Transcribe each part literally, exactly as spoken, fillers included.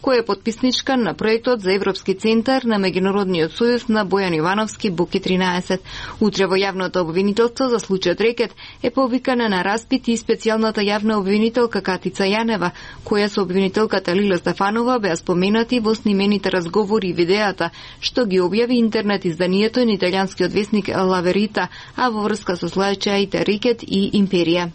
која е потписничка на проектот за Европски центар на Меѓународниот сојуз на Бојан Ивановски Буки тринаесет. Утре во јавното обвинителство за случајот Рекет е повикана на распит и специјалната јавна обвинителка Катица Јанева, која со обвинителката Лила Стефанова беа споменати во снимените разговори и видеата, што ги објави интернет изданието на италијанскиот весник Ла Верита, а во врска со случаите Рекет и Империја.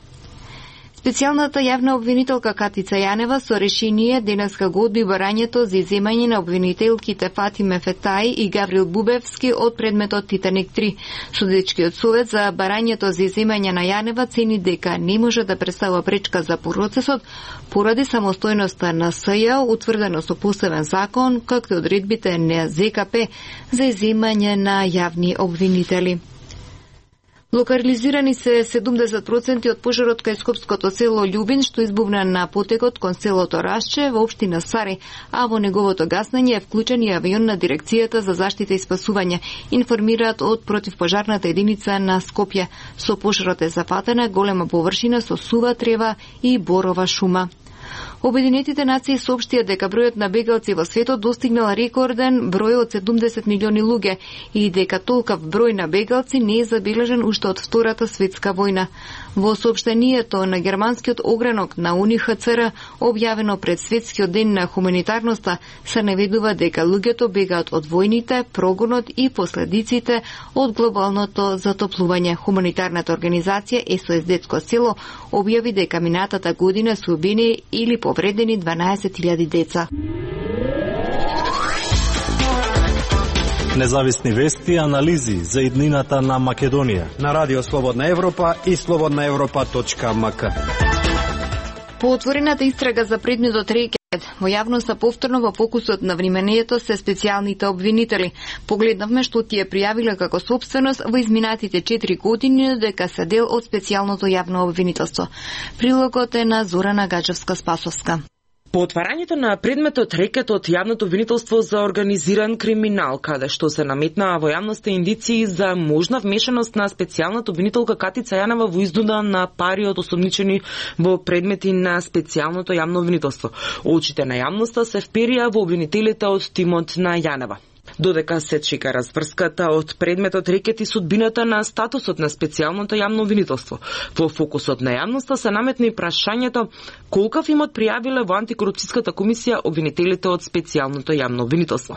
Специјалната јавна обвинителка Катица Јанева со решение денеска го одби барањето за иземање на обвинителките Фатиме Фетај и Гаврил Бубевски од предметот Титаник три. Судечкиот совет за барањето за иземање на Јанева цени дека не може да представува пречка за процесот поради самостојноста на СЈ утврдено со посебен закон, както и одредбите на ЗКП за иземање на јавни обвинители. Локализирани се седумдесет проценти од пожарот кај скопското село Љубин, што избувна на потекот кон селото Расче во општина Сари, а во неговото гаснење е вклучен и авион на Дирекцијата за заштита и спасување, информираат од противпожарната единица на Скопје. Со пожарот е зафатена голема површина со сува трева и борова шума. Обединетите нации соопштија дека бројот на бегалци во светот достигнал рекорден број од седумдесет милиони луѓе и дека толкав број на бегалци не е забележен уште од Втората светска војна. Во соопштението на германскиот огранок на Уни Х Ц Р, објавено пред Светскиот ден на хуманитарноста, се наведува дека луѓето бегаат од војните, прогонот и последиците од глобалното затоплување. Хуманитарната организација С О С Детско село објави дека минатата година се убиени или повредени дванаесет илјади деца. Независни вести и анализи за иднината на Македонија на Радио Слободна Европа и слободна европа точка м к. По отворената истрага за предметот Рекет, во јавноста повторно во фокусот на вниманието се специјалните обвинители. Погледнавме што тие пријавиле како собственост во изминатите четири години дека се дел од специјалното јавно обвинителство. Прилогот е на Зорана Гаджевска-Спасовска. По отварањето на предметот Рекет од јавното обвинителство за организиран криминал, каде што се наметнаа во јавноста индиции за можна вмешаност на специјалната обвинителка Катица Јанева во изнуда на пари од осомничени во предмети на специјалното јавно обвинителство. Очите на јавноста се вперија во обвинителите од тимот на Јанева. Додека се чека разврската од предметот Рекет и судбината на статусот на специјалното јавно обвинителство. Во фокусот на јавноста се наметна и прашањето колкав имот пријавиле во антикорупцијската комисија обвинителите од специјалното јавно обвинителство.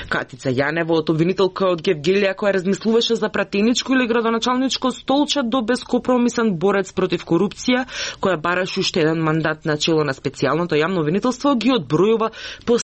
Катица Јанева од обвинителка од Гевгелија која размислуваше за пратеничко или градоначалничко столче до бескомпромисен борец против корупција, која бараше уште еден мандат на чело на специјалното јавно обвинителство, ги одбројува